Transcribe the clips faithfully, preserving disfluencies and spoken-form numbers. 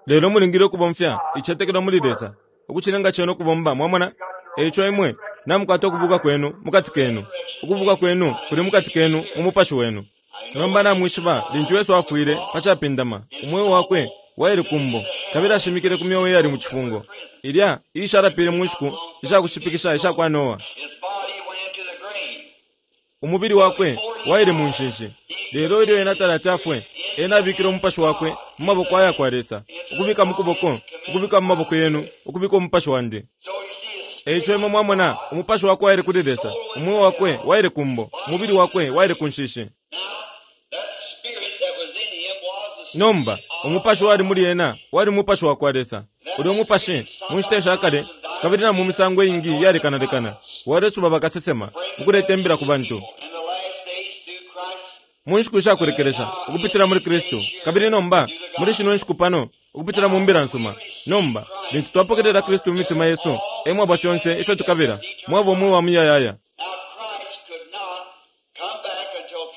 Lelo mulingile ukubomfya icetekelo muli Lesa ukucilenga cena ukubomba. Mwamona? Eico imwe namukwata ukubuka kwenu mukati kenu. Ukubuka kwenu kuli mukati kenu mu mupashi wenu. Nomba namwishiba lintu Yesu afwile pa capindama, umweo wakwe waile kumbo kabili ashimikile ku myeo iyali mu cifungo, ilya iishalapile mu nshiku isha kushipikisha isha kwa Noa. Umubili wakwe waile mu nshinshi. Lelo ilyo ena talati afwe, ena abikile umupashi wakwe mu maboko aya kwa Lesa, ukubika mu kuboko, ukubika mu maboko yenu, ukubika umupashi wandi. Eico imwe mwamona, umupashi wakwe waile kuli Lesa, umweo wakwe waile kumbo, umubili wakwe waile ku nshishi. Nomba, umupashi wali muli ena wali mupashi wa kwa Lesa. Ulyo mupashi, mu nshita sha kale kabili na mu misango iingi iyalekanalekana, walesuba bakasesema ukuleta imbila ku bantu. Mu nshiku ishakulekelesha, ukupitila muli Kristu, kabili nomba muli shino nshiku pano, ukupitila mu mbila nsuma. Nomba, lintu twapokelela Kristu mu mitima yesu, e mwaba fyonse ifyo tukabila, mwaba umweo wa muyayaya.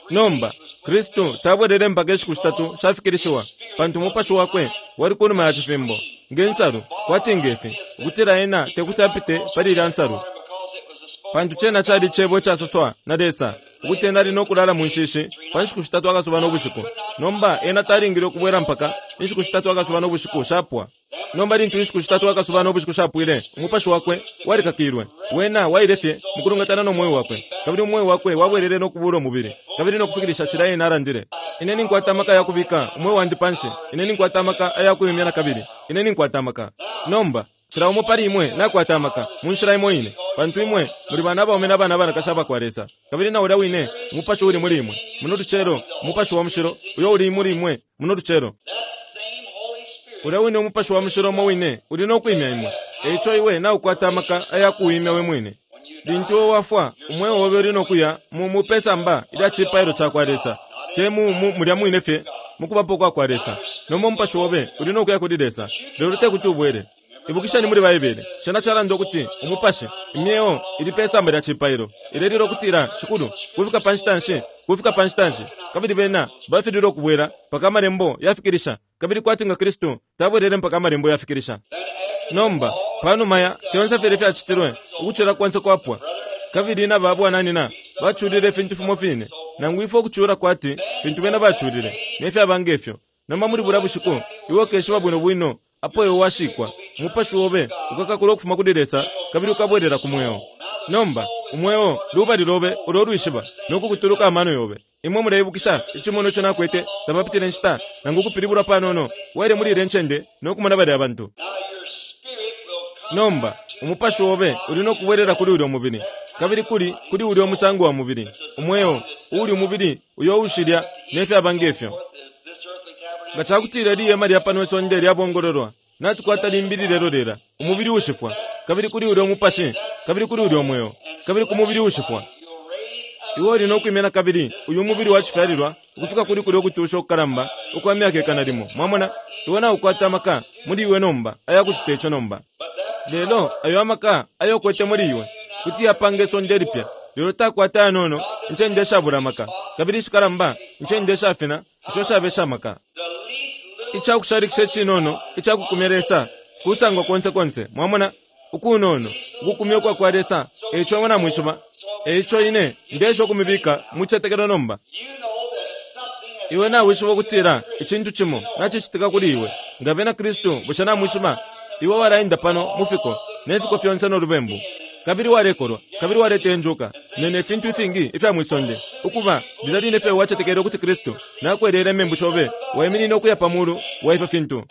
Nomba, Kristu tabwelele mpaka inshiku shitatu shafikilishiwa, pantu umupashi wakwe wali kunuma ya cifimbo, nge nsalu, kwati ngefi, ukutila ena tekuti apite pali ilya nsalu. Pantu cena cali cebo icasoswa na Lesa, ukuti ena ali no kulala mu nshishi pa nshiku shitatu akasuba no bushiku. Nomba ena talingile ukubwela mpaka inshiku shitatu akasuba no bushiku shapwa. Nomba lintu inshiku shitatu akasuba no bushiku shapwile, umupashi wakwe walikakilwe. Wena waile fye mukulungatana no mweo wakwe, kabili umweo wakwe wabwelele no kubula umubili, kabili no kufikilisha cila ena alandile. Ine ninkwata amaka ya kubika umweo wandi panshi, ine ninkwata amaka aya kuyumya na kabili, ine ninkwata amaka. Nomba cila umo pali imwe nakwata amaka mu nshila imo ine, pantu imwe muli bana abaume na bana abanakashi abakwa Lesa, kabili na ulya wine umupashi uli muli imwe muno lucelo, umupashi wa mushilo uyo uli muli imwe muno lucelo, ulya wine umupashi wa mushilo umo wine uli no kwimya imwe. Eico iwe naukwata amaka aya kuwimya we mwine. Lintu iwe wafwa, umweo obe uli no kuya mu mu pesamba ilya cipailo cakwa Lesa, te mu mu mulya mwine fye mukubapo kwa kwa Lesa. Nomba umupashi obe uli no kuya kuli Lesa, lelo tekuti ubwele. Ibukisheni muli Baibele, cena calanda ukuti umupashi, imyeo ili pesamba lya cipailo, ilelila ukutila, Shikulu, kufika pa nshita nshi, kufika pa nshita nshi? Kabili bena bafililwe ukubwela mpaka amalembo yafikilisha, kabili kwati nga Kristu tabwelele mpaka amalembo yafikilisha. Nomba, panuma ya fyonse filya ifyacitilwe, ukucula konse kwapwa, kabili na ba bwananyina baculile ifintu fimo fine, nangu ifwe ukucula kwati fintu bena baculile, ne fyaba ngefyo. Nomba muli bulya bushiku, iwe ukeshiba bwino bwino apo iwe washikwa, umupashi obe ukakakula ukufuma kuli Lesa kabili ukabwelela ku mweo. Nomba, umweo lubali lobe ulo lwishiba no kukutuluka amano yobe. Imwe muleibukisha icimonwa ico nakwete tapapitile nshita, nangu ukupilibulwa panono, waile muli ilya ncende no kumona balya bantu. Nomba, umupashi obe uli no kubwelela kuli ulyo mubili, kabili kuli kuli ulyo musango wa mubili, umweo, uuli umubili uyo ushilya ne fyaba ngefyo. Nga cakutila ili ihema lya pano isonde lyabongololwa, natukwata limbi lilelolela, umubili uushifwa, kabili kuli ulyo mupashi, kabili kuli ulyo mweo, kabili ku mubili uushifwa. Iwe uli no kwimya nakabili uyu mubili wa cifyalilwa ukufika kuli kulyo kutusha ukukalamba ukwa myaka ikana limo. Mwamona? Iwe naukwata amaka muli iwe nomba aya kucita ico nomba. Lelo ayo amaka ayo ukwete muli iwe kuti yapanga isonde ilipya, lelo takwata ayanono incende ishabula amaka, kabili ishikalamba incende ishafina isho shaba isha maka. Icakushalikisha icinono icakukumya Lesa kusangwa konse konse. Mwamona? Ukunono ukukumya ukwa kwa Lesa. Eico imwe namwishiba. Eico ine ndeesha ukumibika mu cicetekelo nomba. Iwe nawishiba ukutila icintu cimo nacicitika kuli iwe. Nga bena Kristu, bushe namwishiba? Iwe walaenda pano mu fiko, ne fiko fyonse no lubembu, kabili walekolwa, kabili waletenjuka, ne, ne fintu ifingi ifya mwi sonde. Ukuba, lilya line fye wacetekele ukuti Kristu nakweleela imembu shobe, waiminine ukuya pa mulu wa ifyo fintu.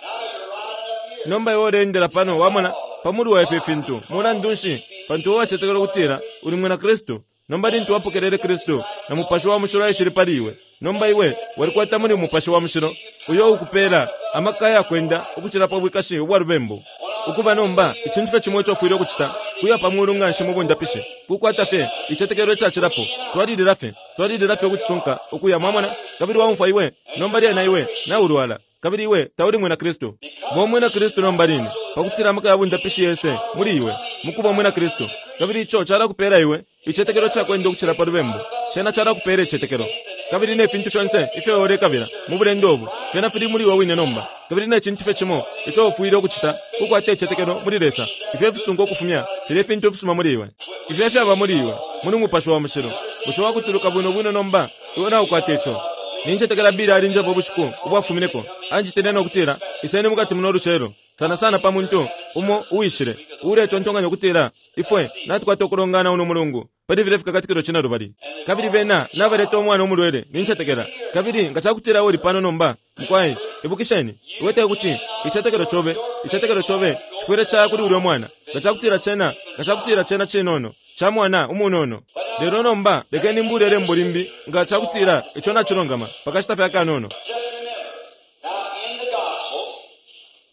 Nomba iwe uleendela pano, wamona, pa mulu wa ifyo fintu. Mulandu nshi? Pantu iwe wacetekela ukutila uli mwina Kristu. Nomba lintu wapokelele Kristu, na Mupashi wa Mushilo aishile pali iwe, nomba iwe walikwata muli Mupashi wa Mushilo uyo ukupela amaka ayakwenda ukucila pa bwikashi ubwa lubembu. Ukuba nomba, icintu fye cimo ico ufwile ukucita kuya pa mulu nganshi mu bundapishi, kukwata fye icitetekelo icacilapo. Twalilila fye, twalilila fye ukucisunka ukuya, mwamona, kabili waumfwa iwe, nomba lyena iwe naulwala, kabili iwe tauli mwina Kristu. Ba umwina Kristu nomba line, pakutila amaka ya bundapishi yese muli iwe, mukuba umwina Kristu, kabili ico calakupela iwe icitetekelo cakwenda ukucila pa lubembu. Cena calakupela icitetekelo kabili ne fintu fyonse ifyo ulekabila mu bulendo ubu fyena fili muli iwe wine nomba. Kabili ne cintu fye cimo ico ufwile ukucita kukwata icitetekelo muli Lesa. Ifyo ifisunga ukufumya filya ifintu ifisuma muli iwe, ifyo ifyaba muli iwe muli Mupashi wa Mushilo. Bushe wakutuluka bwino bwino nomba? Iwe naukwata ico. Nincetekela Billy alinjeba ubushiku ubwafumineko, anjitile no kutila, "Iseni mukati muno lucelo," sana sana pa muntu umo uwishile uuletontonkanya ukutila ifwe natukwata ukulongana uno mulungu pali filya Fikakatikilo Cinelubali. Kabili bena nabaleta umwana umulwele, nincetekela. Kabili nga cakutila uli pano nomba, mukwai, ibukisheni, iwe tekuti icitetekelo cobe, icitetekelo cobe cifwile caya kuli ulya mwana, nga cakutila cena, nga cakutila cena cinono, ca mwana umunono. Lelo nomba lekeni mbule ilembo limbi nga cakutila ico nacilungama pakashita fye akanono.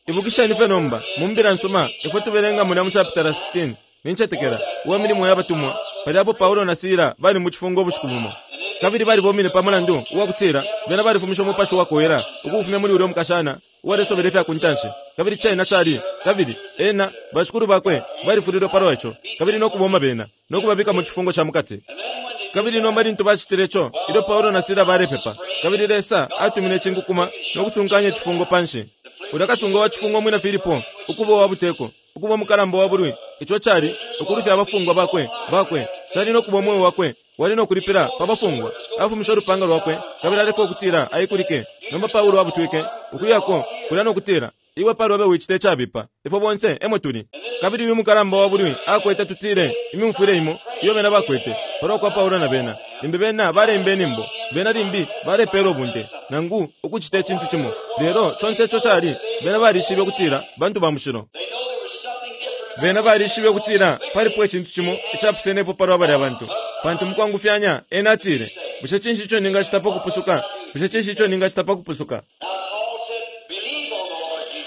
Ibukisheni fye nomba, mu Mbila nsuma ifwe tubelenga mulya mu chapitala sixteen, nincetekela, uwa Milimo ya Batumwa, palya apo Paulo na Sila bali mu cifungo ubushiku bumo. Kabili balibomine pa mulandu uwa kutila bena balifumishe umupashi wakowela ukuufumya muli ulya mukashana uwalesobela ifya ku ntanshi. Kabili cena cali, kabili ena, bashikulu bakwe balifulilwe palwa ico, kabili no kuboma bena, no kubabika mu cifungo ca mukati. Kabili nomba lintu bacitile ico, ilyo Paulo na Sila balepepa, kabili Lesa atumine icinkukuma no kusunkanya icifungo panshi. Ulya kasunga wa cifungo umwina Filipo, ukuba uwa buteko, ukuba umukalamba wa bulwi, ico cali ukulufya abafungwa bakwe, bakwe, cali no kuba umweo wakwe wali no kulipila pa bafungwa. Afumishe ulupanga lwakwe kabili alefwaya ukutila aikulike. Nomba Paulo abutwike ukuyako kulya no kutila, "Iwe palobe wicita icabipa, ifwe bonse emo tuli." Kabili uyu mukalamba wa bulwi akwete, tutile, imyumfwile imo iyo bena bakwete palwa kwa Paulo na bena. Limbi bena baleimba inyimbo, bena limbi balepela ubunte, nangu ukucita icintu cimo. Lelo conse ico cali, bena balishibe ukutila bantu ba mushilo. Bena balishibe ukutila palipo icintu cimo icapusenepo palwa balya bantu. Pantu mukwangufyanya ena atile, "Bushe cinshi ico ningacita pa kupusuka? Bushe cinshi ico ningacita pa kupusuka?"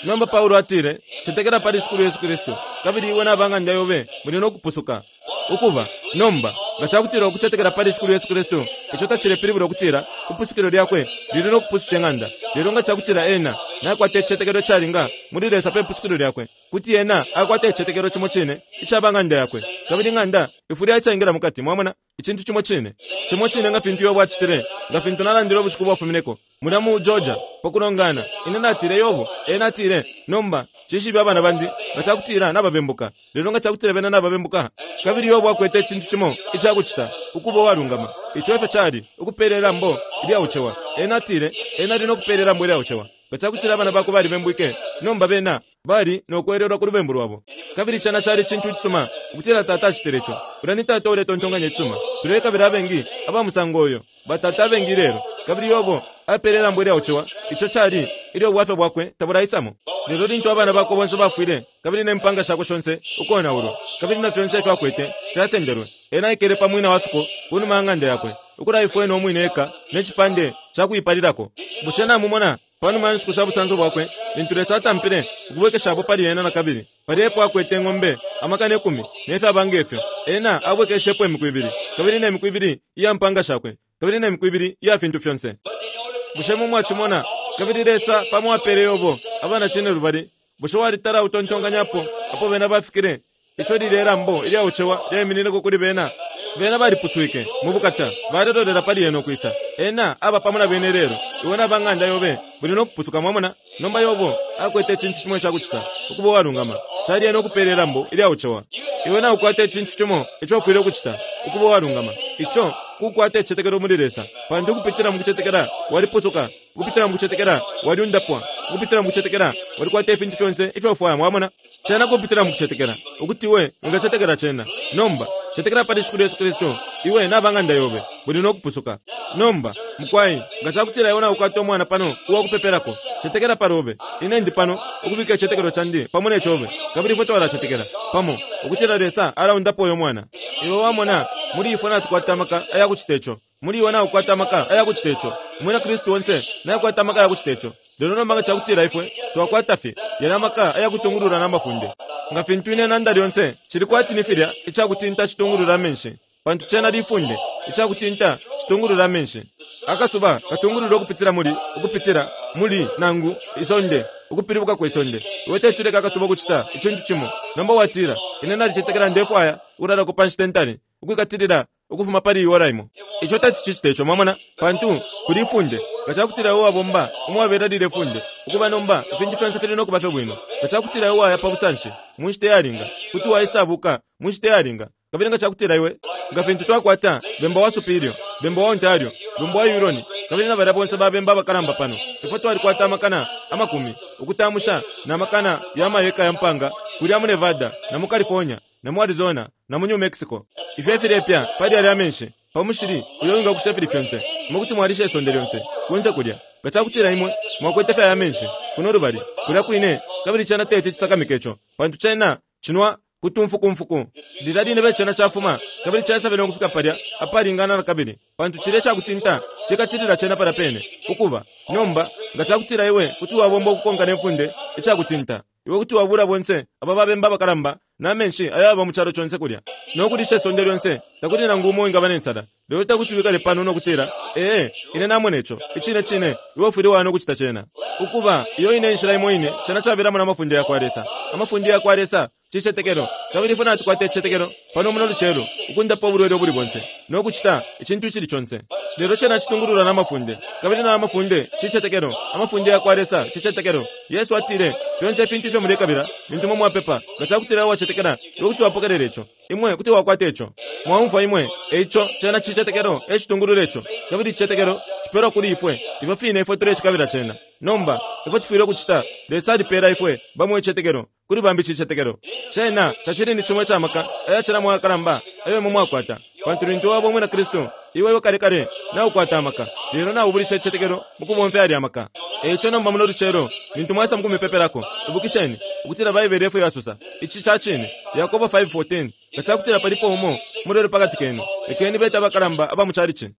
Nomba Paulo atile, "Cetekela pali Shikulu Yesu Kristu, kabili iwe na ba ng'anda yobe muli no kupusuka." Ukuba, nomba, nga cakutila ukucetekela pali Shikulu Yesu Kristu, ico tacilepilibula ukutila ipusukilo lyakwe lili no kupususha ing'anda. Lelo nga cakutila ena nakwata icicetekelo icalinga muli Lesa pe pusukilo lyakwe, kuti ena akwata icicetekelo cimo cine ica ba ng'anda yakwe, kabili ing'anda ifwile yaisa mukati. Mwamona, icintu cimo cine, cimo cine nga fintu Yobo acitile, nga fintu nalandile ubushiku bwafumineko mulya mu Georgia pa kulongana. Ine natile, Yobo, ena atile, "Nomba cishibe abana bandi nga cakutila nababembuka." Lelo nga cakutila bena nababembuka, kabili Yobo akwete icintu cimo icakucita ukuba uwalungama, ico efyo cali ukupela ilambo ilyaucewa. Ena atile ena ali no kupela ilambo ilyaucewa nga cakutila abana bakwe balibembwike. Nomba bena bali no kwelelwa ku lubembu lwabo. Kabili cena cali icintu icisuma ukutila tata acitile ico. Ulya ni tata uletontonkanya icisuma. Tulekabila abengi aba musango uyo, batata abengi lelo. Kabili Yobo apele ilambo ilyaucewa, ico cali ilyo ubwafya bwakwe tabulaisamo. Lelo lintu abana bakwe bonse bafwile, kabili ne mpanga shakwe shonse ukonaulwa, kabili na fyonse ifyo akwete fyasendelwe, ena aikele pa mwina wa fiko ku numa ya ng'anda yakwe, ukulaifwena umwine eka ne cipande ca kuipalilako. Bushe namumona panuma ya nshiku sha busanso bwakwe, lintu Lesa atampile ukubwekeshapo pali ena na kabili, palya epo akwete ing'ombe amakana ikumi ne fyaba ngefyo, ena abwekeshepo imiku ibili, kabili ne miku ibili iya mpanga shakwe, kabili ne miku ibili iya fintu fyonse. Bushe mwe mwacimona? Kabili Lesa pamo apele Yobo abana cinelubali. Bushe walitala utontonkanyapo apo bena bafikile? Ico lilye lambo ilyaucewa lyaiminineko kuli bena. Bena balipuswike mu bukata, balelolela pali ena ukwisa. Ena aba pamo na bena ilelo. Iwe na ba ng'anda yobe muli no kupusuka. Mwamona? Nomba Yobo akwete icintu cimo icakucita ukuba uwalungama, cali ena ukupela ilambo ilyaucewa. Iwe naukwata icintu cimo ico ufwile ukucita ukuba uwalungama, ico kukwata icicetekelo muli Lesa. Pantu ukupitila mu kucetekela walipusuka, ukupitila mu kucetekela waliundapwa, ukupitila mu kucetekela walikwata ifintu fyonse ifyo ufwaya. Mwamona? Cena kupitila mu kucetekela ukuti iwe wingacetekela cena. Nomba cetekela pali Shikulu Yesu Kristu, iwe na ba ng'anda yobe muli no kupusuka. Nomba mukwai, nga cakutila iwe naukwata umwana pano uwa kupepelako, cetekela palobe. Ine ndi pano ukubika icicetekelo candi pamo ne cobe, kabili ifwe twalacetekela pamo ukutila Lesa alaundapo uyo mwana. Iwe wamona, muli ifwe natukwata amaka aya kucita ico. Muli iwe naukwata amaka aya kucita ico. Umwina Kristu onse nakwata amaka aya kucita ico. Lelo nomba nga cakutila ifwe twakwata fye yalya amaka aya kutungulula na mafunde, nga fintu ine nanda lyonse, cili kwati ni filya icakutinta citungulula amenshi, pantu cena lifunde. Icakutinta citungulula amenshi. Akasuba katungulula ukupitila muli, ukupitila muli nangu isonde, ukupilibuka kwe sonde. Iwe teti uleke akasuba ukucita icintu cimo. Nomba watila, "Ine nalicetekela ndefwaya ukulalako pa nshita intali, ukwikatilila ukufuma pali ora imo. Ico teti cicite ico, mwamona, pantu kuli ifunde. Nga cakutila iwe wabomba umwabela lile funde, ukuba nomba ifintu fyonse fili nokuba fye bwino. Nga cakutila iwe waya pa busanshi mu nshita iyalinga, kuti waisabuka mu nshita iyalinga. Kabili nga cakutila iwe, nga fintu twakwata bemba wa Superior, bemba wa Ontario, bemba wa Huron, kabili na balya bonse ba bemba abakalamba pano, ifwe twalikwata amakana amakumi ukutamusha na makana ya mayeka ya mpanga kulya mu Nevada na mu California na mu Arizona na mu New Mexico. Ifyo efilepya pali yalya amenshi pa mushili uyo wingakusha ifili fyonse, imwe kuti mwalisha isonde lyonse kunse kulya. Nga cakutila imwe mwakwete fye aya menshi kuno lubali kulya kwine, kabili cena teti cisakamike ico, pantu cena cinwa kutumfukumfuku. Lilya line be cena cafuma kabili caisabele ukufika palya apalingana na kabili, pantu cilya icakutinta cikatilila cena palya pene. Ukuba nomba, nga cakutila iwe kuti wabomba ukukonka ne funde icakutinta, iwe kuti wabula bonse aba babemba abakalamba na menshi ayaba mu calo conse kulya no kulisha isonde lyonse, takuli nangu umo wingaba ne nsala. Lelo tekuti wikale pano no kutila, ee, ine namona ico, icine cine, iwe ufwile waya no kucita cena. Ukuba, iyo ine inshila imo ine cena cabelamo na mafunde yakwa Lesa. Amafunde yakwa Lesa cicetekelo, kabili ifwe natukwata icicetekelo pano muno lucelo ukundapa ubulwele ubuli bonse no kucita icintu icili conse. Lelo cena citungululwa na mafunde, kabili na mafunde cicetekelo. Amafunde yakwa Lesa cicetekelo. Yesu atile, fyonse ifintu ifyo mulekabila lintu imwe mwapepa, nga cakutila wacetekela, iwe kuti wapokelela ico, imwe kuti wakwata ico. Mwaumfwa imwe? Eico cena cicetekelo ecitungulula ico, kabili icicetekelo cipelwa kuli ifwe ifyo fine ifwe tulecikabila cena. Nomba ifwe tufwile ukucita, Lesa alipela ifwe bamo icicetekelo, kuli bambi cicetekelo. Cena tacili ni cimo icamaka ayacilamo ayakalamba ayo imwe mwakwata, pantu lintu waba umwina Kristu, iwe iwe kale kale naukwata amaka, lelo naubulisha icicetekelo mu kubomfya yalya amaka. Eico nomba muno lucelo lintu mwaisa mu kumipepelako, ibukisheni ukutila Baibele efyo yasosa. Ici ca cine, Yakobo five fourteen, nga cakutila palipo umo mulwele pakati kenu, lekeni bete abakalamba aba mu calici,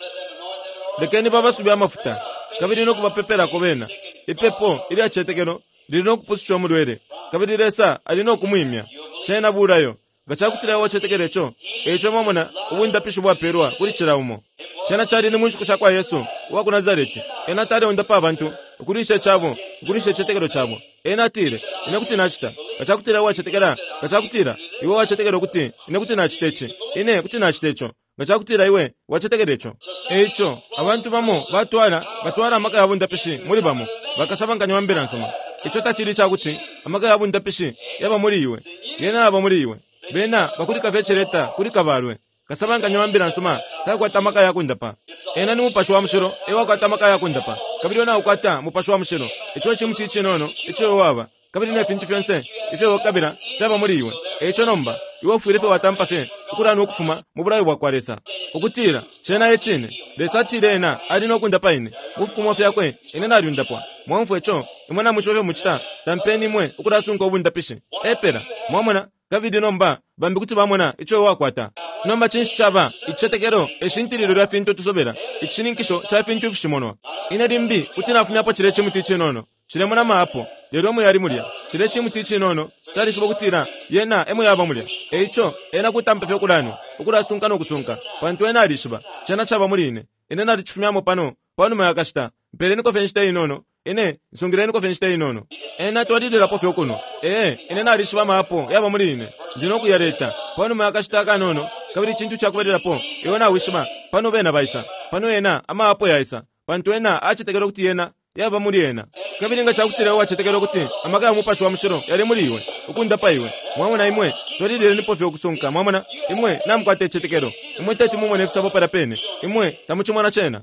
lekeni babasube amafuta kabili no kubapepelako bena. Ipepo ilya cicetekelo lili no kupususha umulwele, kabili Lesa ali no kumwimya. Cena bulayo. Nga cakutila wacetekela ico, eico mwamona ubundapishi bwapelwa kuli cila umo. Cena cali ni mu nshiku shakwa Yesu uwa ku Nazareti. Ena taleundapa abantu ukulisha icabo, ukulisha icicetekelo cabo. Ena atile, ine kuti nacita. Nga cakutila wacetekela, nga cakutila iwe wacetekela ukuti ine kuti nacita ici, ine kuti nacita ico. Nga cakutila iwe wacetekela ico. Eico abantu bamo batwala batwala amaka ya bundapishi muli bamo bakasabankanya wa mbila nsuma. Ico tacili icakuti amaka ya bundapishi yaba muli iwe, yena yaba muli iwe. Bena bakulika fye celeta kuli kabalwe. Kasabankanya wa mbila nsuma takwata amaka ya kundapa. Ena ni Mupashi wa Mushilo ewakwata amaka ya kundapa, kabili wena ukwata Mupashi wa Mushilo. Ico cimuti icinono ico waba, kabili ne fintu fyonse ifyo wakabila fyaba muli iwe. Eico nomba iwe ufwile fye watampa fye ukulana ukufuma mu bulayo bwakwa Lesa, ukutila cena e cine. Lesa atile ena ali no kundapa ine mu fipimo fyakwe, ine nalyundapwa. Mwamfwa ico? Imwe namwishiba ifyo mucita, tampeni imwe ukulasunka ubundapishi epela. Mwamona? Kabili nomba bambi kuti bamona ico wakwata. Nomba cinshi caba icicetekelo? Eshintililo lya fintu tusobela, icishininkisho ca fintu ifishimonwa. Ine limbi kuti nafumyapo cilya cimuti icinono cilemona maapo, lelo emo yali mulya. Cilya cimuti icinono calishiba ukutila yena emo yaba mulya. Eico ena kutampa fye ukulanwa, ukulasunka no kusunka, pantu ena alishiba cena caba muli ine. Ine nalicifumyamo pano panuma ya kashita. Mpeleniko fye inshita inono, ine nsungileniko fye inshita inono. Ena twalililapo fye ukuno. Ee, ine nalishiba maapo yaba muli ine, ndi no kuyaleta panuma ya kashita akanono. Kabili icintu cakubalilapo iwe nawishiba, pano bena baisa pano, ena amaapo yaisa, pantu ena acetekela ukuti yena yaba muli ena. Kabili nga cakutila wacetekela ukuti amaka ya Mupashi wa Mushilo yali muli iwe ukundapa iwe, mwamona imwe twalililenipo fye ukusunka. Mwamona imwe namukwata icicetekelo, imwe teti mumone ifisabo palya pene, imwe tamucimona cena.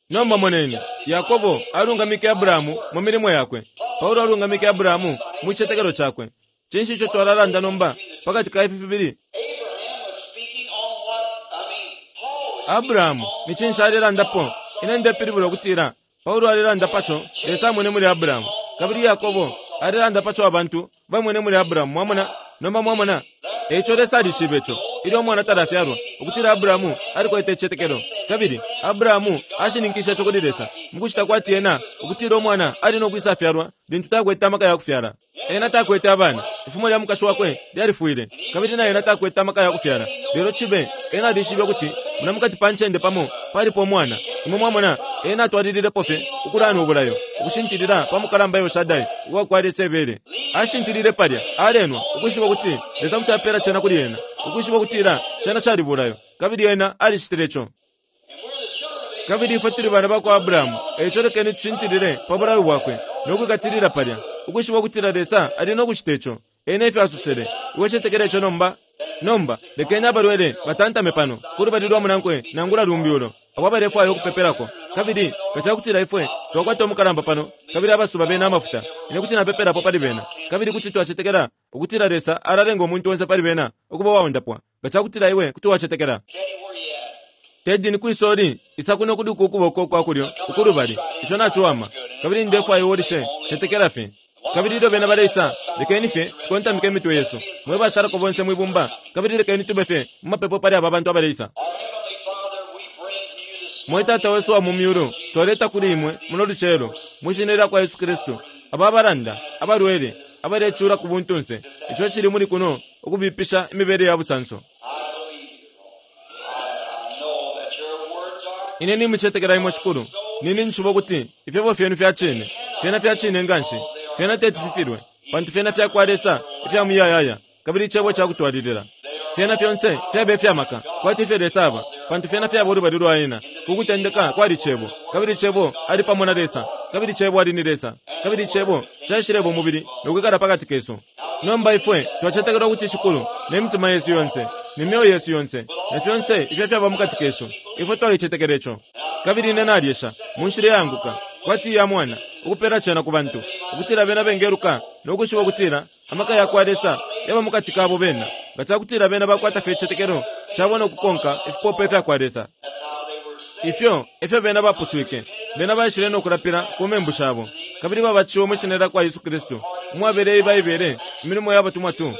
Nomba moneni, Yakobo alungamike Abrahamu mu milimo yakwe, Paulo alungamike Abrahamu mu cicetekelo cakwe. Cinshi ico twalalanda nomba pakati ka ifi fibili? Abrahamu ni cinshi alelandapo? Ine ndepilibula ukutila Paulo alelanda paco Lesa amwene muli Abrahamu, kabili Yakobo alelanda paco abantu bamwene muli Abrahamu. Mwamona? Nomba mwamona, eico Lesa alishibe ico ilyo umwana talafyalwa, ukutila Abrahamu alikwete icicetekelo, kabili Abrahamu ashininkishe ico kuli Lesa mukucita kwati ena ukutila umwana ali no kwisafyalwa lintu takwete amaka ya kufyala. Ena takwete abana, ifumo lya mukashi wakwe lyalifwile, kabili na ena takwete amaka ya kufyala. Lelo cibe ena alishibe ukuti muna mukati pa ncende pamo palipo umwana. Imwe mwamona, ena atwalililepo fye ukulana ubulayo, ukushintilila pa mukalamba Yoshadai uwakwa Lesa ebele. Ashintilile palya alenwa, ukwishiba ukuti Lesa kuti apela cena kuli ena, ukwishiba ukutila cena cali bulayo, Kabili ena alicitile ico. Kabili ifwe tuli bana bakwa Abrahamu, eico lekeni tushintilile pa bulayo bwakwe no kwikatilila palya, ukwishiba ukutila Lesa ali no kucita ico. Ena efyo asosele. Iwe cetekela ico nomba? Nomba lekeni abalwele batantame pano kulubali lwa munankwe nangula lumbi ulo abo abalefwaya ukupepelako. Kabili nga cakutila ifwe twakwata umukalamba pano kabili abasuba bena amafuta, ine kuti napepelapo pali bena, kabili kuti twacetekela ukutila Lesa alalenga umuntu onse pali bena ukuba uwaundapwa. Nga cakutila iwe kuti wacetekela. Teddy, ni kwisoli isa kuno kuduka ukuboko kwa kulyo ukulubali. Ico naciwama. Kabili ndefwaya uwolishe, cetekela fye. Kabili ilyo bena baleisa, lekeni fye tukontamike imitwe yesu, mwe bashalako bonse mwibumba, kabili lekeni tube fye mu mapepo pali aba bantu abaleisa. Mwe Tata wesu wa mu myulu, twaleta kuli imwe muno lucelo, mwi shina lya kwa Yesu Kristu, aba abalanda, abalwele, abalecula ku buntunse, ico cili muli kuno ukubipisha imibele ya busanso. Ine nimucetekela imwe, Shikulu. Nini nshiba ukuti ifyebo fyenu fya cine, fyena fya cine nganshi, fyena teti fifilwe, pantu fyena fya kwa Lesa ifya muyayaya, kabili icebo ca kutwalilila. Fyena fyonse fyaba ifya maka, kwati ifyo Lesa aba, pantu fyena fyaba ulubali lwa ena. Ku kutendeka kwali Cebo, kabili Cebo ali pamo na Lesa, kabili Cebo ali ni Lesa, kabili Cebo caishileba umubili no kwikala pakati kesu. Nomba ifwe twacetekela ukuti Shikulu, ne mitima yesu yonse, ne myeo yesu yonse, na fyonse ifyo fyaba mukati kesu, ifwe twalicetekela ico. Kabili ine nalyesha, mu nshila iyaanguka, kwati iya mwana, ukupela cena ku bantu, ukutila bena bengeluka no kwishiba ukutila amaka ya kwa Lesa yaba mukati kabo bena, nga cakutila bena bakwata fye icicetekelo cabo no kukonka ifipope fya kwa Lesa. Ifyo efyo bena bapuswike. Bena baishile no kulapila ku membu shabo, kabili babatishiwe mwi shina lya kwa Yesu Kristu, umwabele Baibele, Imilimo ya Batumwa two.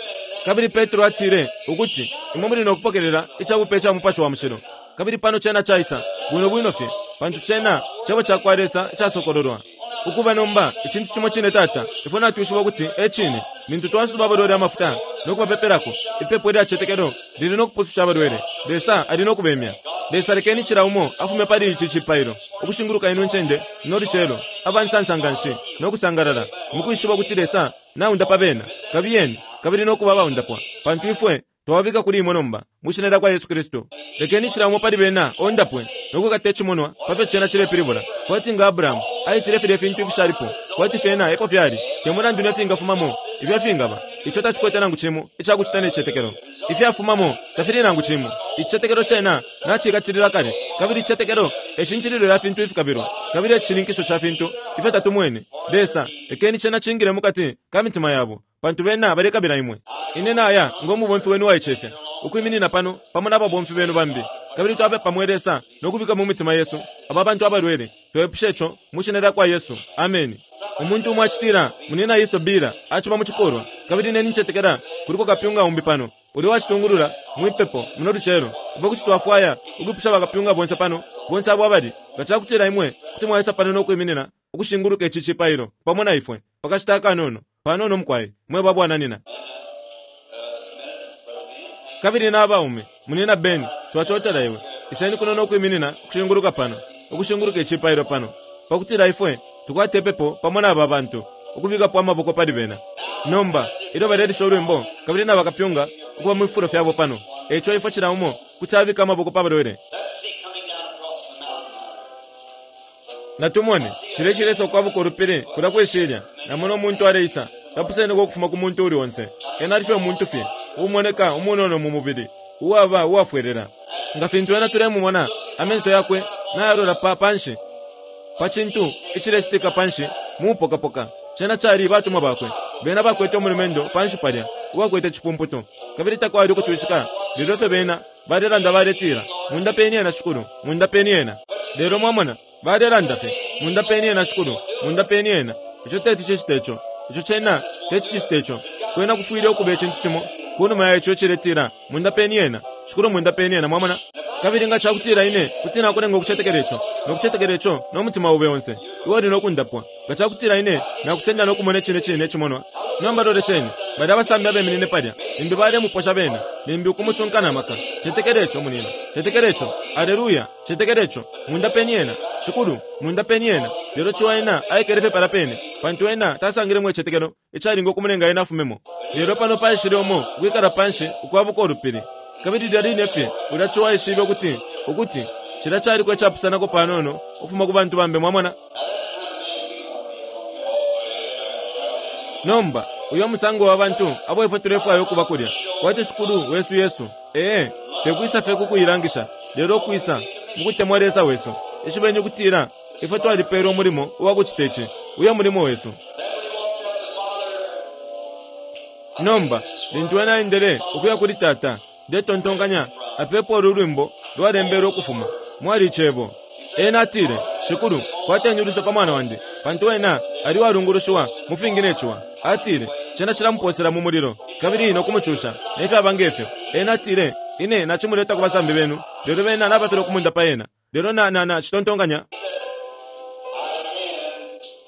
Kabili Petro atile ukuti imwe muli no kupokelela icabupe ca Mupashi wa Mushilo. Kabili pano cena caisa, bwino bwino fye, pantu cena Cebo cakwa Lesa icasokololwa. Ukuba nomba icintu cimo cine, Tata, ifwe natwishiba ukuti e cine. Lintu twasuba abalwele amafuta no kubapepelako, ipepo ilya cicetekelo lili no kupususha abalwele. Lesa ali no kubemya. Lesa, lekeni cila umo afume pali ici cipailo, ukushinguluka ino ncende no lucelo, abansansa nganshi no kusangalala, mukwishiba ukuti Lesa naundapa bena. Kabiyeni kabili no kuba abaundapwa, pantu ifwe twababika kuli imwe nomba, mwi shina lya kwa Yesu Kristu. Lekeni cila umo pali bena ondapwe no kwikata icimonwa pa fyo cena cilepilibula, kwati nga Abrahamu aitile filya ifintu ifishalipo, kwati fyena epo fyali, te mulandu ne fingafumamo, ifyo fingaba. Ico tacikwete nangu cimo icakucita ne cicetekelo. Ifyafumamo tafili nangu cimo. Icicetekelo cena nacikatilila kale, kabili icicetekelo e shintililo lya fintu ifikabilwa, kabili e cishininkisho ca fintu ifyo tatumwene. Lesa, lekeni cena cingile mukati ka mitima yabo, pantu bena balekabila imwe. Ine naya ngo mubomfi wenu uwaicefya, ukwiminina pano pamo na babomfi benu bambi, kabili twapepa mwe Lesa no kubika mu mitima yesu aba bantu abalwele. Twepusha ico mu shina lya kwa Yesu. Ameni. Umuntu umo acitila, Munina Yesu Bila aciba mu cikulwa, kabili ine nincetekela kuliko kapyunga umbi pano ulya uwacitungulula mwipepo muno lucelo. Ifwe kuti twafwaya ukwipusha bakapyunga bonse pano, bonse abo abali, nga cakutila imwe kuti mwaisa pano no kwiminina ukushinguluka ici cipailo pamo na ifwe pakashita akanono, panono mukwai, mwe babwananina. Kabili na abaume, Munina Ben, twatotela iwe. Iseni kuno no kwiminina ukushinguluka pano, ukushinguluka icipailo pano, pakutila ifwe tukwate ipepo pamo na aba bantu, ukubikapo amaboko pali bena. Nomba, ilyo balelisha ulwimbo, kabili na bakapyunga ukuba mu fifulo fyabo pano, eico ifwe cila umo kuti abika amaboko pa balwele. Natumone, cilya icilesa ukwabuka ulupili kulya kwi shilya, namona umuntu aleisa, tapuseneko ukufuma ku muntu uuli onse. Ena ali fye umuntu fye, uumoneka umunono mu mubili, uwaba uwafwelela. Nga fintu ena tulemumona, amenso yakwe nayalola pa panshi, pa cintu icilecitika panshi mu mupokapoka. Cena cali batumwa bakwe. Bena bakwete umulumendo panshi palya uwakwete cipumputu, kabili takwali ukutwishika lelo ifyo bena balelanda baletila, Mundapeni ena, Shikulu, mundapeni ena. Lelo mwamona, balelanda fye, Mundapeni ena, Shikulu, mundapeni ena. Ico teti cicite ico. Ico cena teti cicite ico. Kwena kufwile ukuba icintu cimo kunuma ya ico iciletila, Mundapeni ena, Shikulu, mundapeni ena. Mwamona? Kabili nga cakutila ine kuti nakulenga ukucetekela ico, no kucetekela ico no mutima obe onse, iwe uli no kundapwa. Nga cakutila ine nakusenda no kumona icine cine icimonwa. Nomba lolesheni, balya abasambi abeminine palya, limbi balemuposha bena, limbi ukumusunka na maka. Cetekela ico, munina. Cetekela ico. Aleluya. Cetekela ico. Mundapeni ena, Shikulu, mundapeni ena. Lelo ciwa ena aikele fye palya pene, pantu ena tasangilemo icicetekelo icalinga ukumulenga ena afumemo. Lelo pano paishile umo ukwikala panshi ukwabuka ulupili, Kabili lilya line fye ulya ciwa aishibe ukuti ukuti cilya caliko icapusanako panono ukufuma ku bantu bambi, mwamona. Nomba uyo musango wa bantu abo ifwe tulefwaya ukuba kulya, kwati Shikulu wesu Yesu. Ee, tekwisa fye ku kuilangisha, lelo kwisa mukutemwa Lesa wesu. Ishibeni ukutila ifwe twalipeelwa umulimo uwa kucita ici, uyo mulimo wesu. Nomba lintu ena aendele ukuya kuli Tata, ndetontonkanya apepo ulu lwimbo lwalembelwe ukufuma mwali icebo. Ena atile, Shikulu, kwateni uluse pa mwana wandi, pantu ena ali walungulushiwa mu fingi ne ciwa. Atile, cena cilamuposela mu mulilo kabili no kumucusha, ne fyaba ngefyo. Ena atile, ine nacimuleta ku basambi benu, lelo bena nabafilwa kumundapa ena. Lelo na na na citontonkanya.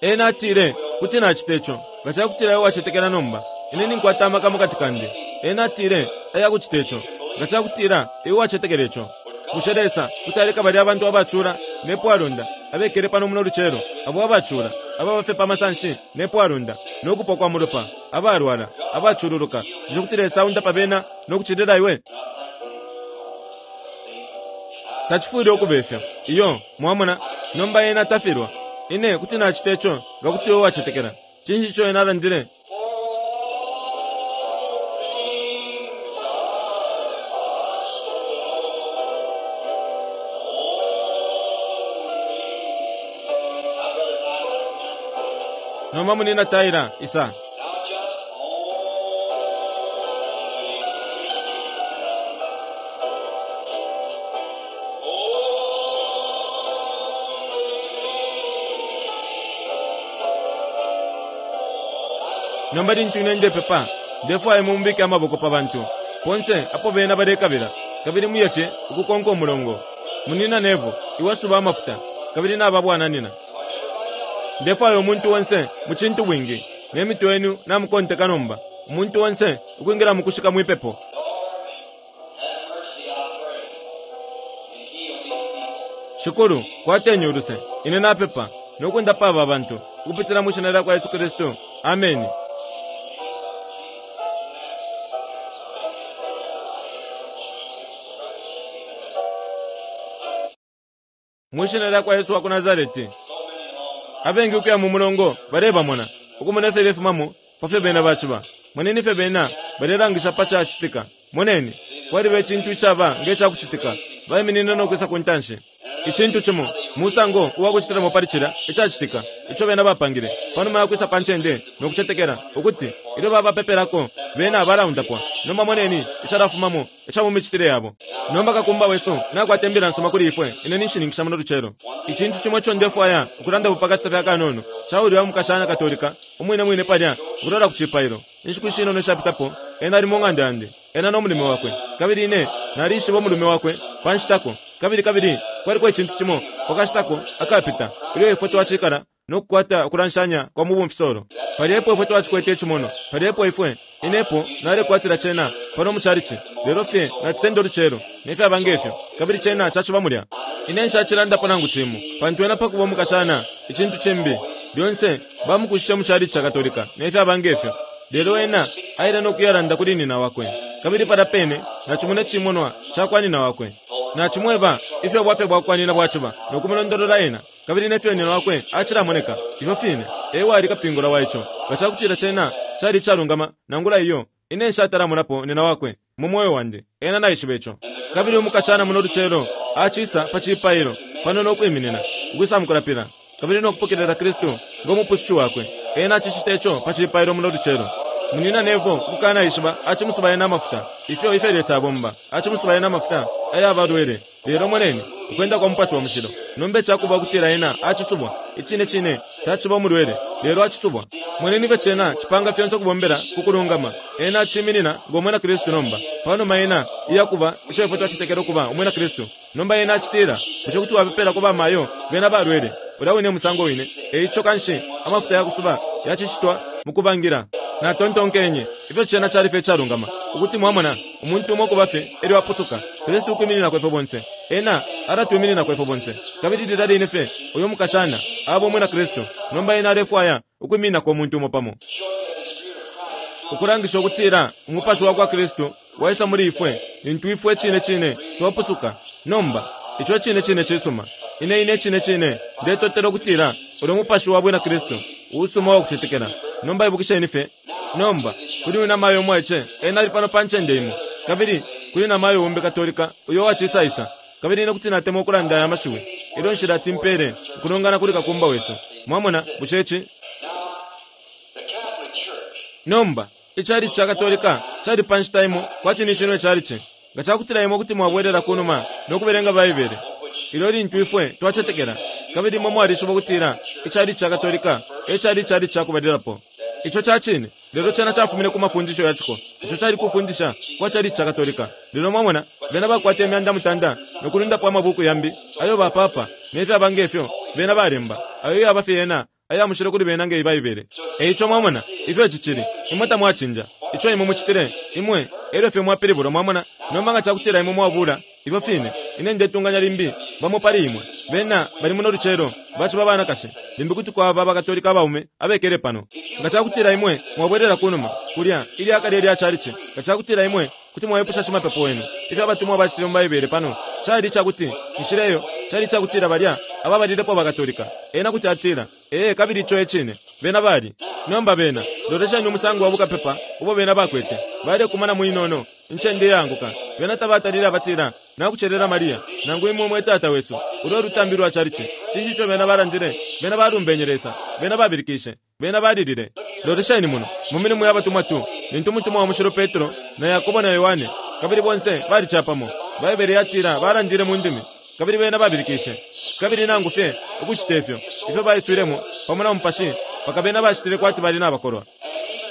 Ena atile, kuti nacita ico nga cakutila iwe wacetekela nomba. Ine ninkwata amaka mukati kandi. Ena atile, aya kucita ico nga cakutila iwe wacetekela ico. Bushe Lesa kuti aleka balya abantu abacula ne pwalonda abekele pano muno lucelo, abo abacula ababa fye pa masanshi ne pwalonda no kupwa kwa mulopa, abalwala, abacululuka, bushe kuti Lesa aundapa bena no kucilila iwe? Tacifwile ukuba ifyo. Iyo, mwamona, nomba ena tafilwa. Ine kuti nacita ico nga kuti iwe wacetekela. Cinshi ico ena alandile? Nomba munina Taira, isa. Nomba lintu ine ndepepa, ndefwaya mumbike amaboko pa bantu ponse apo bena balekabila, kabili muye fye ukukonka umulongo. Munina Nevo, iwe suba amafuta, kabili nababwananina. Ndefwaya umuntu onse mu cintu bwingi, ne mitwe yenu namukonteka nomba, umuntu onse ukwingila mukushika mwipepo. Shikulu, kwateni uluse, ine napepa, nokundapa aba bantu, ukupitila mu shina lyakwa Yesu Kristu. Ameni. Mu shina lyakwa Yesu wa ku Nazareti. Abengi ukuya mu mulongo balebamona, ukumona ifyo lefumamo pa fyo bena baciba. Moneni ifyo bena balelangisha pa cacitika. Moneni, kwaliba icintu icaba nge cakucitika, baiminine no kwisa ku ntanshi. Icintu cimo, musango uwa kucitilamo pali cilya icacitika, ico bena bapangile, panuma ya kwisa pa ncende no kucetekela ukuti ilyo babapepelako bena balaundapwa. Nomba moneni icalafumamo ica mu micitile yabo. Nomba kakumba wesu nakwata imbila nsuma kuli ifwe, ine ninshininkisha muno lucelo. Icintu cimo ico ndefwaya ukulandapo pa kashita fye akanono, ca ulya mukashana Katolika umwine mwine palya ukulola ku cipailo. Inshiku ishinono ishapitapo, ena ali mu ng'anda yandi, ena no mulume wakwe, kabili ine nalishiba umulume wakwe pa nshitako. Kabili kabili kwaliko icintu cimo pa kashitako akapita, ilyo ifwe twacikala no kukwata ukulanshanya kwa mu bumfisolo. Palya epo ifwe twacikwete icimono, palya epo ifwe, inepo nalekwatila cena pano mu chalichi, lelo fye nacisenda ulucelo, ne fyaba ngefyo, kabili cena caciba mulya. Ine nshacilandapo nangu cimo, pantu ena pakuba umukashana, icintu cimbi, lyonse bamukushishe mu chalichi ca Katolika, ne fyaba ngefyo. Lelo ena aile no kuyalanda kuli nina wakwe, kabili palya pene nacimona icimonwa ca kwa nina wakwe. Nacimweba ifyo bwafya bwakwa nina bwaciba, no kumulondolola ena, kabili nefyo nina wakwe acilamoneka, ifyo fine ewali kapingula wa ico. Nga cakutila cena cali icalungama nangula iyo, ine nshatalamonapo nina wakwe mu moyo wandi, ena naishiba ico. Kabili umukashana muno lucelo acisa pa cipailo pano no kwiminina ukwisa mukulapila kabili no kupokelela Kristu ngo mupusushu wakwe. Ena acicita ico pa cipailo muno lucelo. Munina Nevo ukukana ishiba acimusuba ena amafuta, ifyo ifyo Lesa abomba, acimusuba ena amafuta ayabalwele. Lelo moneni ukwenda kwa Mupashi wa Mushilo. Nomba icakuba ukutila ena acisubwa, icine cine taciba umulwele, lelo acisubwa. Moneni ifyo cena cipanga fyonse ukubombela ku kulungama. Ena aciminina ngo mwina Kristu nomba, panuma ena iyakuba ico ifwe twacetekela ukuba umwina Kristu. Nomba ena acitila, bushe kuti wapepelako bamayo bena balwele? Ulya wine musango wine. Eico kanshi amafuta yakusuba yacicitwa mukubangila. Natontonkenye ifyo cena cali fye icalungama, ukuti mwamona umuntu umo kuba fye elyo apusuka, Kristu ukwimininako ifwe bonse. Ena alatwimininako ifwe bonse. Kabili lilya line fye uyo mukashana aba umwina Kristu, nomba ena alefwaya ukwimininako umuntu umo pamo, ukulangisha ukutila umupashi wa kwa Kristu waisa muli ifwe lintu ifwe cine cine twapusuka. Nomba ico cine cine cisuma. Ine ine cine cine ndetotela ukutila ulyo mupashi wa bwina Kristu uusuma wa kucetekela. Nomba ibukisheni fye. Nomba kuli uyu namayo umwaice, ena ali pano pa ncende imo, kabili kuli namayo umbi Katolika uyo wacisaisa. Kabili ine kuti natemwa ukulanda aya mashiwi ilyo nshilati mpele ukulongana kuli kakumba wesu. Mwamona, bushe ici? Nomba icalici ca Katolika cali pa nshita imo kwati ni cino icalici. Nga cakutila imwe kuti mwabwelela kunuma no kubelenga Baibele, ilyo lintu ifwe twacetekela, kabili imwe mwalishiba ukutila icalici ca Katolika e cali icalici ca kubalilapo. Ico ca cine, lelo cena cafumine ku mafundisho ya ciko. Ico cali kufundisha kwa calici ca Katolika. Lelo mwamona, bena bakwata imyanda mutanda no kulundapo amabuku yambi ayo ba papa ne fyaba nge fyo bena balemba, ayo yaba fye yena aya mushilo kuli bena nge Baibele. E ico mwamona ifyo ici cili, imwe tamwacinja ico imwe mucitile, imwe elyo fye mwapilibulwa. Mwamona? Nomba nga cakutila imwe mwabula ifyo fine, ine ndetunganya limbi bamo pali imwe bena bali muno lucelo baciba banakashi, limbi kuti kwaba bakatolika abaume abekele pano. Nga cakutila imwe mwabwelela kunuma kulya ilya kale lya chalichi, nga cakutila imwe kuti mwaipusha shimapepo wenu ifyo abatumwa bacitile mu Baibele pano, cali icakuti inshila iyo cali icakutila balya ababalilepo bakatolika, ena kuti atila ee, kabili ico e cine, bena bali. Nomba bena lolesheni umusango wa bukapepa ubo bena bakwete, balekumana muinono incende iyaanguka. Bena tabatalile abatila nakucelela Maria nangu imwe mwe tata wesu, ulwo lutambi lwa chalichi. Cinshi ico bena balandile? Bena balumbenye Lesa, bena babilikishe, bena balilile. Lolesheni muno mu milimo ya batumwa two, lintu umutumwa wa mushilo Petro na Yakobo na Yohane kabili bonse bali capamo, Baibele yatila balandile mu ndimi kabili bena babilikishe, kabili nangu fye ukucita ifyo ifyo baiswilemo pamo na mupashi mpaka bena bacitile kwati bali nabakolwa,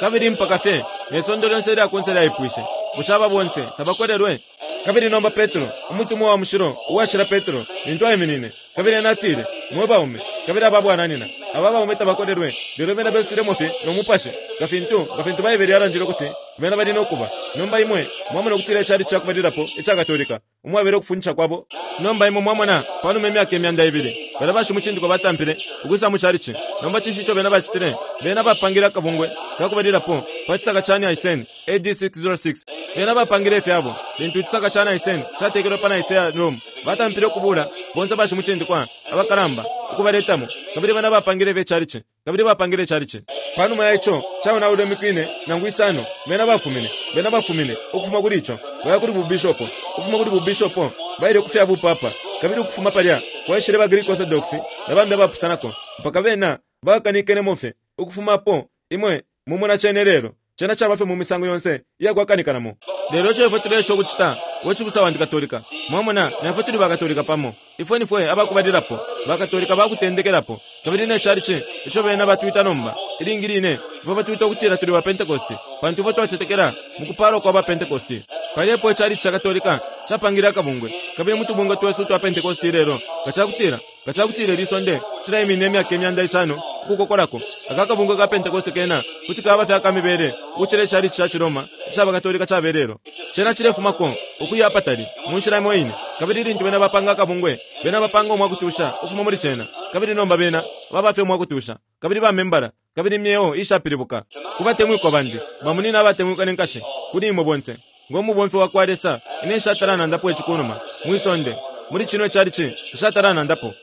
kabili mpaka fye ne sonde lyonse ilya kunse lyaipwishe, bushe aba bonse tabakolelwe? Kabili nomba Petro, umutumwa wa mushilo uwashila Petro, lintu aiminine kabili ena atile, mwe baume kabili aba bwananyina, aba baume tabakolelwe, lelo bena beswilemo fye no mupashi nga fintu nga fintu Baibele yalandile ukuti bena bali no kuba. Nomba imwe mwamona ukutila icali cakubalilapo ica Katolika umwabele ukufundisha kwabo. Nomba imwe mwamona panuma imyaka imyanda ibili balya bashimucindikwa batampile ukwisa mu chalichi. Nomba cinshi ico bena bacitile? Bena bapangile akabungwe kakubalilapo pa cisaka ca Nicene A D six oh six. Bena bapangile ifyabo lintu icisaka ca Nicene catekelwe pa Nicaea Rome. Batampile ukubula bonse bashimucindikwa abakalamba ukubaletamo, kabili bena bapangile fye chalichi, kabili bapangile chalichi. Panuma ya ico caonaulwe imiku ine nangu isano, bena bafumine, bena bafumine ukufuma kuli ico baya kuli bubishopo, ukufuma kuli bubishopo baile kufya bupapa, kabili ukufuma palya kwaishile ba Greek Orthodox na bambi abapusanako mpaka bena bakanikenemo fye. Ukufumapo imwe mumona cene lelo, cena caba fye mu misango yonse iyakwakanikanamo. Lelo ico ifwe tuleesha ukucita, we cibusa wandi Katolika, mwamona, na ifwe tuli bakatolika pamo, ifwe nifwe abakubalilapo bakatolika bakutendekelapo, kabili ne chalichi ico bena batwita nomba ilingi line ifwe batwita ukutila tuli ba Pentecost, pantu ifwe twacetekela mu kupalwa kwa ba Pentecost. Palipo icalichi ca Katolika capangile akabungwe, kabili mu tubungwe twesu twa Pentecost lelo, nga cakutila nga cakutila ili sonde tulaiminina imyaka imyanda isano ukukokolako, aka kabungwe ka Pentecost kena kuti kaba fye akamibele ukucila icalichi ca Ciroma ica bakatolika cabelelo. Cena cilefumako ukuya apatali mu nshila imo ine, kabili lintu bena bapanga akabungwe, bena bapanga umwakutusha ukufuma muli cena, kabili nomba bena baba fye umwakutusha, kabili bamembala, kabili imyeo ishapilibuka. Kubatemwikwa bandi bamunina abatemwikwa nenkashi, kuli imwe bonse ngo mubomfi wa kwa Lesa, ine nshatala nandapo icikunuma mwisonde muli cino icalichi nshatala nandapo.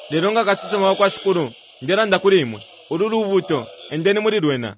Lelo nga kasesema wa kwa Shikulu, ndelanda kuli imwe, ulu lubuto, endeni muli lwena.